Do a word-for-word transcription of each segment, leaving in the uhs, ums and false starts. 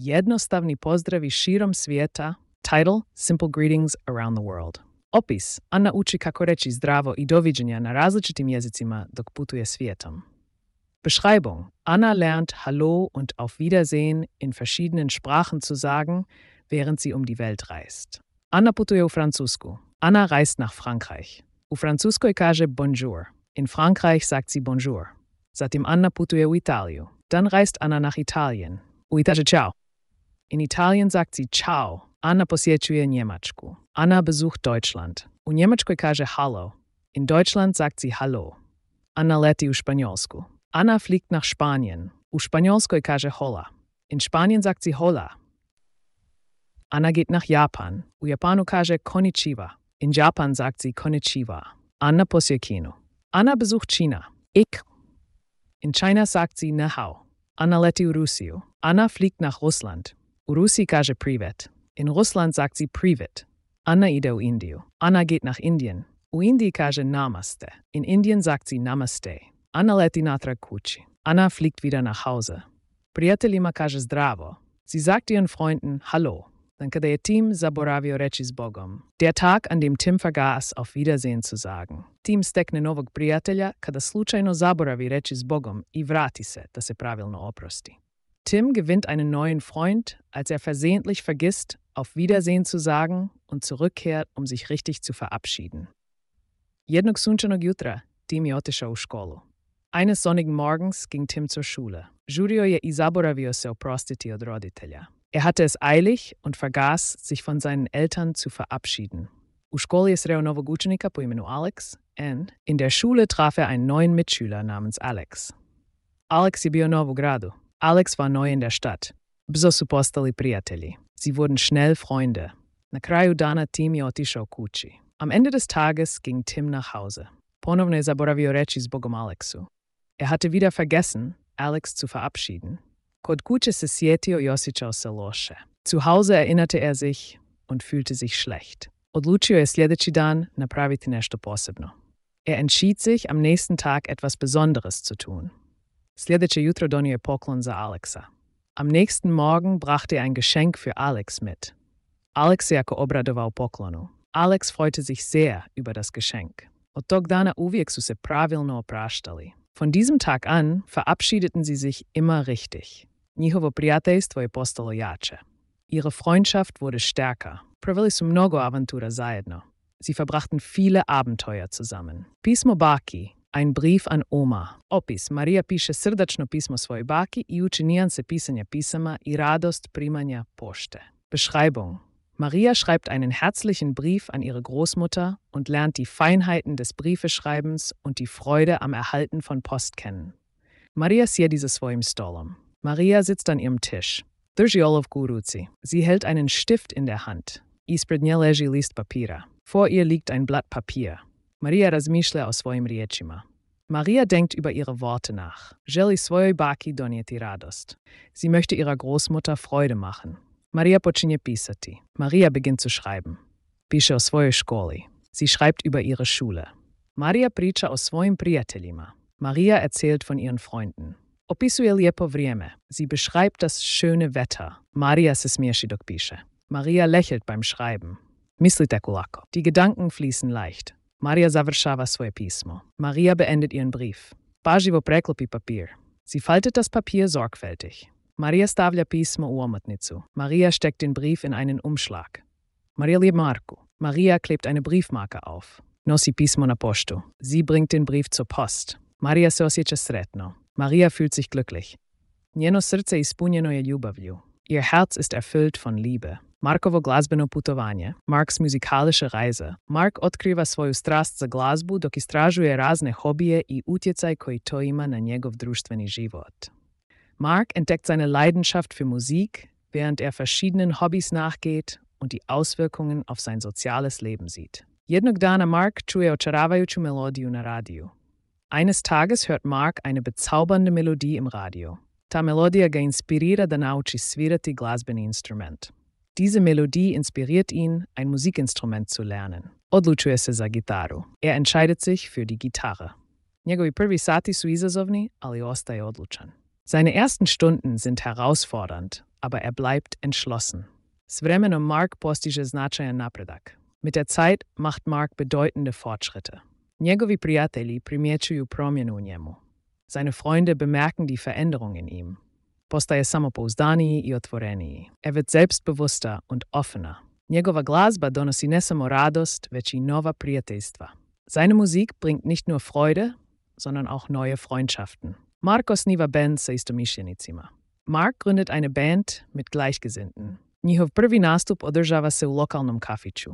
Jednostavni pozdravi širom svijeta. Title: Simple Greetings Around the World. Opis: Anna uči kako reći zdravo i doviđenja na različitim jezicima dok putuje svijetom. Beschreibung: Anna lernt Hallo und Auf Wiedersehen in verschiedenen Sprachen zu sagen, während sie um die Welt reist. Anna putuje u Francusku. Anna reist nach Frankreich. U Francuskoj kaže Bonjour. In Frankreich sagt sie Bonjour. Zatim Anna putuje u Italiju. Dann reist Anna nach Italien. U Italiji Ciao. In Italien sagt sie Ciao. Anna posjećuje Njemačku. Anna besucht Deutschland. U Njemačkoj kaže Hallo. In Deutschland sagt sie Hallo. Anna leti u Španjolsku. Anna fliegt nach Spanien. U Španjolskoj kaže Hola. In Spanien sagt sie Hola. Anna geht nach Japan. U Japanu kaže Konnichiwa. In Japan sagt sie Konnichiwa. Anna posjećuje Kinu. Anna besucht China. Ich. In China sagt sie Ne hao. Anna leti u Rusiju. Anna fliegt nach Russland. U Rusiji kaže Privet. In Russland sagt sie Privet. Anna ide u Indiju. Anna geht nach Indien. U Indiji kaže Namaste. In Indien sagt sie Namaste. Anna leti natrag kući. Anna fliegt wieder nach Hause. Prijateljima kaže zdravo. Sie sagt ihren Freunden Hallo. Dann kada je Tim zaboravio reći s Bogom. Der Tag, an dem Tim vergaß, auf Wiedersehen zu sagen. Tim stekne novog prijatelja kada slučajno zaboravi reći s Bogom i vrati se da se pravilno oprosti. Tim gewinnt einen neuen Freund, als er versehentlich vergisst, auf Wiedersehen zu sagen und zurückkehrt, um sich richtig zu verabschieden. Jednog sunčanog jutra Tim je otišao u školu. Eines sonnigen Morgens ging Tim zur Schule. Žurio je i zaboravio se oprostiti od roditelja. Er hatte es eilig und vergaß, sich von seinen Eltern zu verabschieden. U školi je sreo novog učenika po imenu Alex and in der Schule traf er einen neuen Mitschüler namens Alex. Alex je bio nov u gradu. Alex war neu in der Stadt. Brzo su postali prijatelji. Sie wurden schnell Freunde. Na kraju dana Tim je otišao kući. Am Ende des Tages ging Tim nach Hause. Ponovno je zaboravio reći s Bogom Alexu. Er hatte wieder vergessen, Alex zu verabschieden. Kod kuće se sjetio i osjećao se loše. Zu Hause erinnerte er sich und fühlte sich schlecht. Odlučio je sljedeći dan napraviti nešto posebno. Er entschied sich, am nächsten Tag etwas Besonderes zu tun. Sljedeće jutro donio je poklon za Alexa. Am nächsten Morgen brachte er ein Geschenk für Alex mit. Alex se jako obradovao poklonu. Alex freute sich sehr über das Geschenk. Od tog dana uvijek su se pravilno opraštali. Von diesem Tag an verabschiedeten sie sich immer richtig. Njihovo prijateljstvo je postalo jače. Ihre Freundschaft wurde stärker. Proveli su mnogo avantura zajedno. Sie verbrachten viele Abenteuer zusammen. Pismo baki, ein Brief an Oma. Opis: Marija piše srdačno pismo svojoj baki i uči nijanse pisanja pisama i radost primanja pošte. Beschreibung: Maria schreibt einen herzlichen Brief an ihre Großmutter und lernt die Feinheiten des Briefeschreibens und die Freude am Erhalten von Post kennen. Maria sjedi za svojim stolom. Maria sitzt an ihrem Tisch. Drži olovku u ruci. Sie hält einen Stift in der Hand. Ispred nje leži list papira. Vor ihr liegt ein Blatt Papier. Maria razmišlja o svojim riječima. Maria denkt über ihre Worte nach. Želi svojoj baki donijeti radost. Sie möchte ihrer Großmutter Freude machen. Maria počinje pisati. Maria beginnt zu schreiben. Piše o svojoj školi. Sie schreibt über ihre Schule. Maria priča o svojim prijateljima. Maria erzählt von ihren Freunden. Opisuje lijepo vrijeme. Sie beschreibt das schöne Wetter. Maria se smiješi dok piše. Maria lächelt beim Schreiben. Misli teku lako. Die Gedanken fließen leicht. Maria završava svoje pismo. Maria beendet ihren Brief. Pažljivo preklopi papir. Sie faltet das Papier sorgfältig. Maria stavlja pismo u omotnicu. Maria steckt den Brief in einen Umschlag. Maria liebt Marku. Maria klebt eine Briefmarke auf. Nosi pismo na poštu. Sie bringt den Brief zur Post. Maria se osjeća sretno. Maria fühlt sich glücklich. Njeno srce ispunjeno je ljubavlju. Ihr Herz ist erfüllt von Liebe. Markovo glazbeno putovanje, Marks musikalische Reise. Mark otkriva svoju strast za glazbu dok istražuje razne hobije i utjecaj koji to ima na njegov društveni život. Mark entdeckt seine Leidenschaft für Musik, während er verschiedenen Hobbys nachgeht und die Auswirkungen auf sein soziales Leben sieht. Jednog dana Mark čuje očaravajuću melodiju na radiju. Eines Tages hört Mark eine bezaubernde Melodie im Radio. Ta melodija ga inspirira da nauči svirati glazbeni instrument. Diese Melodie inspiriert ihn, ein Musikinstrument zu lernen. Odlučuje se za gitaru. Er entscheidet sich für die Gitarre. Njegovi prvi sati su izazovni, ali ostaje odlučan. Seine ersten Stunden sind herausfordernd, aber er bleibt entschlossen. S vremenom Mark postiže značajan napredak. Mit der Zeit macht Mark bedeutende Fortschritte. Njegovi prijatelji primjećuju promjenu u njemu. Seine Freunde bemerken die Veränderung in ihm. Postaje samopouzdaniji i otvoreniji. Er wird selbstbewusster und offener. Njegova glazba donosi ne samo radost, već i nova prijateljstva. Seine Musik bringt nicht nur Freude, sondern auch neue Freundschaften. Mark osniva band sa istomišljenicima. Mark gründet eine Band mit Gleichgesinnten. Njihov prvi nastup održava se u lokalnom kafiću.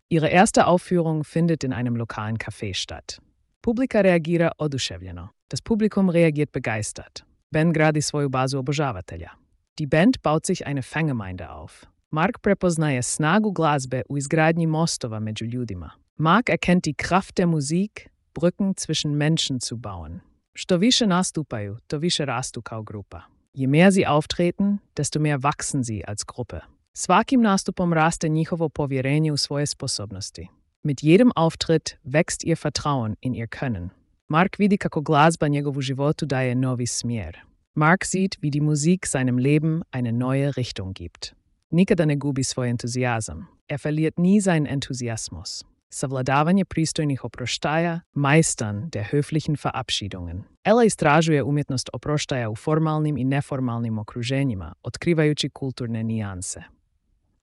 Ihre erste Aufführung findet in einem lokalen Café statt. Publika reagira oduševljeno. Das Publikum reagiert begeistert. Band gradi svoju bazu obožavatelja. Die Band baut sich eine Fangemeinde auf. Mark prepoznaje snagu glazbe u izgradnji mostova među ljudima. Mark erkennt die Kraft der Musik, Brücken zwischen Menschen zu bauen. Što više nastupaju, to više rastu kao grupa. Je mehr sie auftreten, desto mehr wachsen sie als Gruppe. Svakim nastupom raste njihovo povjerenje u svoje sposobnosti. Mit jedem Auftritt wächst ihr Vertrauen in ihr Können. Mark vidi kako glazba njegovu životu daje novi smjer. Mark sieht, wie die Musik seinem Leben eine neue Richtung gibt. Nikada ne gubi svoj entuzijazam. Er verliert nie seinen Enthusiasmus. Savladavanje pristojnih oproštaja, Meistern der höflichen Verabschiedungen. Ella istražuje umjetnost oproštaja u formalnim i neformalnim okruženjima, otkrivajući kulturne nijanse.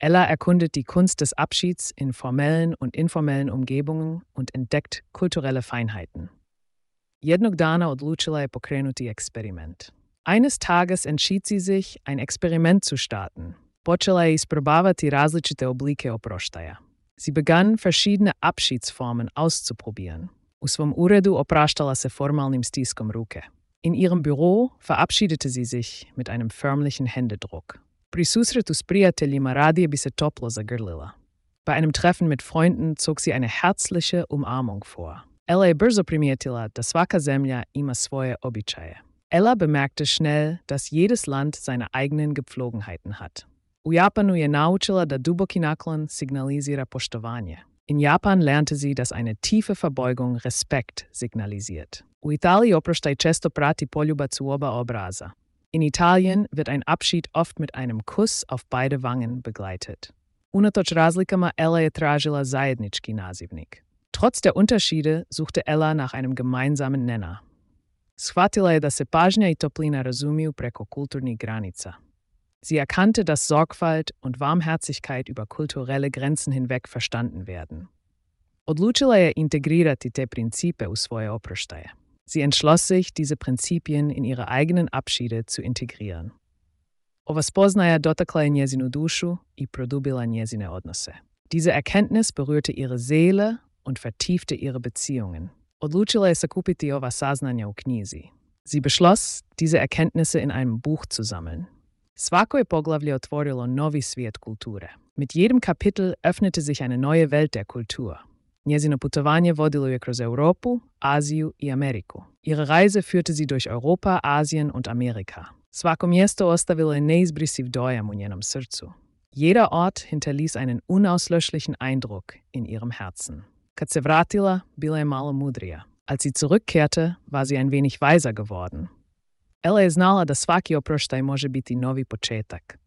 Ella erkundet die Kunst des Abschieds in formellen und informellen Umgebungen und entdeckt kulturelle Feinheiten. Jednog dana odlučila je pokrenuti eksperiment. Eines Tages entschied sie sich, ein Experiment zu starten. Počela je isprobavati različite oblike oproštaja. Sie begann, verschiedene Abschiedsformen auszuprobieren. U svom uredu opraštala se formalnim stiskom ruke. In ihrem Büro verabschiedete sie sich mit einem förmlichen Händedruck. Pri susretu s prijateljima radije bi se toplo zagrlila. Bei einem Treffen mit Freunden zog sie eine herzliche Umarmung vor. Ella je brzo primijetila da svaka zemlja ima svoje običaje. Ella bemerkte schnell, dass jedes Land seine eigenen Gepflogenheiten hat. U Japanu je naučila da duboki naklon signalizira poštovanje. In Japan lernte sie, dass eine tiefe Verbeugung Respekt signalisiert. U Italiji oproštaj često prati poljubac u oba obraza. In Italien wird ein Abschied oft mit einem Kuss auf beide Wangen begleitet. Unatoč razlikama Ella je tražila zajednički nazivnik. Trotz der Unterschiede suchte Ella nach einem gemeinsamen Nenner. Shvatila je da se pažnja i toplina razumiju preko kulturnih granica. Sie erkannte, dass Sorgfalt und Warmherzigkeit über kulturelle Grenzen hinweg verstanden werden. Odlučila je integrirati te principe u svoje oproštaje. Sie entschloss sich, diese Prinzipien in ihre eigenen Abschiede zu integrieren. Ova spoznaja dotakla je njezinu dušu i produbila njezine odnose. Diese Erkenntnis berührte ihre Seele und vertiefte ihre Beziehungen. Odlučila je sakupiti ova saznanja u knjizi. Sie beschloss, diese Erkenntnisse in einem Buch zu sammeln. Svako je poglavlje otvorilo novi svijet kulture. Mit jedem Kapitel öffnete sich eine neue Welt der Kultur. Njezino putovanje vodilo je kroz Europu, Aziju i Ameriku. Ihre Reise führte sie durch Europa, Asien und Amerika. Svako mjesto ostavilo je neizbrisiv dojam u njenom srcu. Jeder Ort hinterließ einen unauslöschlichen Eindruck in ihrem Herzen. Kad se vratila, bila je malo mudrija. Als sie zurückkehrte, war sie ein wenig weiser geworden. Ella je znala da svaki oproštaj može biti novi početak.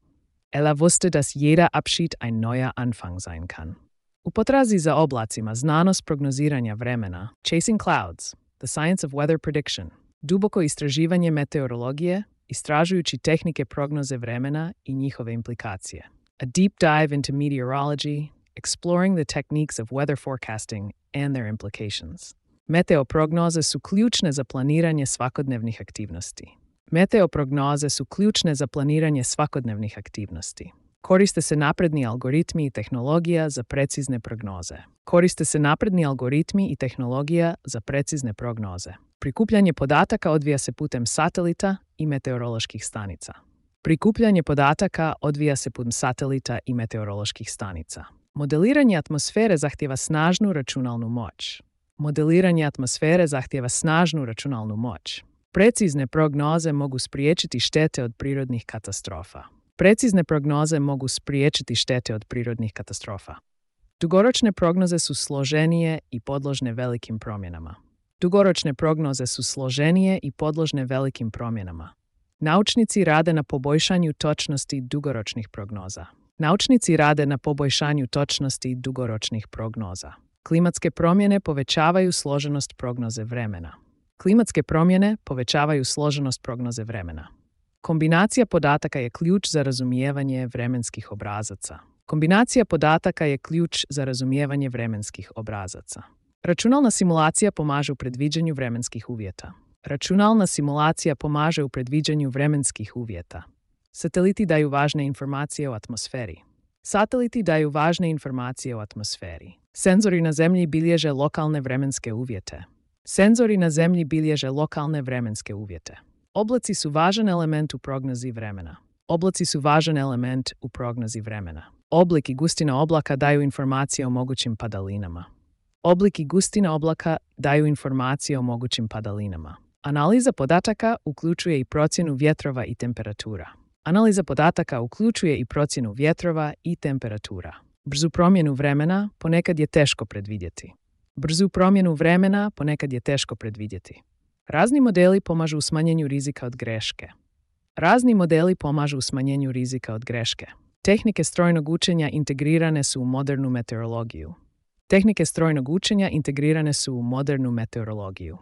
Ella wusste, dass jeder Abschied ein neuer Anfang sein kann. U potrazi za oblacima, znanost prognoziranja vremena, Chasing Clouds, The Science of Weather Prediction, duboko istraživanje meteorologije, istražujući tehnike prognoze vremena i njihove implikacije. A deep dive into meteorology, exploring the techniques of weather forecasting and their implications. Meteoprognoze su ključne za planiranje svakodnevnih aktivnosti. Meteoprognoze su ključne za planiranje svakodnevnih aktivnosti. Koriste se napredni algoritmi i tehnologija za precizne prognoze. Koriste se napredni algoritmi i tehnologija za precizne prognoze. Prikupljanje podataka odvija se putem satelita i meteoroloških stanica. Prikupljanje podataka odvija se putem satelita i meteoroloških stanica. Modeliranje atmosfere zahtjeva snažnu računalnu moć. Modeliranje atmosfere zahtjeva snažnu računalnu moć. Precizne prognoze mogu spriječiti štete od prirodnih katastrofa. Precizne prognoze mogu spriječiti štete od prirodnih katastrofa. Dugoročne prognoze su složenije i podložne velikim promjenama. Dugoročne prognoze su složenije i podložne velikim promjenama. Naučnici rade na poboljšanju točnosti dugoročnih prognoza. Naučnici rade na poboljšanju točnosti dugoročnih prognoza. Klimatske promjene povećavaju složenost prognoze vremena. Klimatske promjene povećavaju složenost prognoze vremena. Kombinacija podataka je ključ za razumijevanje vremenskih obrazaca. Kombinacija podataka je ključ za razumijevanje vremenskih obrazaca. Računalna simulacija pomaže u predviđanju vremenskih uvjeta. Računalna simulacija pomaže u predviđanju vremenskih uvjeta. Sateliti daju važne informacije o atmosferi. Sateliti daju važne informacije o atmosferi. Senzori na Zemlji bilježe lokalne vremenske uvjete. Senzori na Zemlji bilježe lokalne vremenske uvjete. Oblaci su važan element u prognozi vremena. Oblaci su važan element u prognozi vremena. Oblik i gustina oblaka daju informacije o mogućim padalinama. Oblik i gustina oblaka daju informacije o mogućim padalinama. Analiza podataka uključuje i procjenu vjetrova i temperatura. Analiza podataka uključuje i procjenu vjetrova i temperatura. Brzu promjenu vremena ponekad je teško predvidjeti. Brzu promjenu vremena ponekad je teško predvidjeti. Razni modeli pomažu u smanjenju rizika od greške. Razni modeli pomažu u smanjenju rizika od greške. Tehnike strojnog učenja integrirane su u modernu meteorologiju. Tehnike strojnog učenja integrirane su u modernu meteorologiju.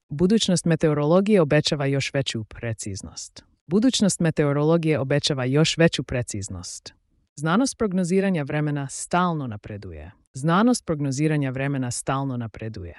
Budućnost meteorologije obećava još veću preciznost. Budućnost meteorologije obećava još veću preciznost. Znanost prognoziranja vremena stalno napreduje. Znanost prognoziranja vremena stalno napreduje.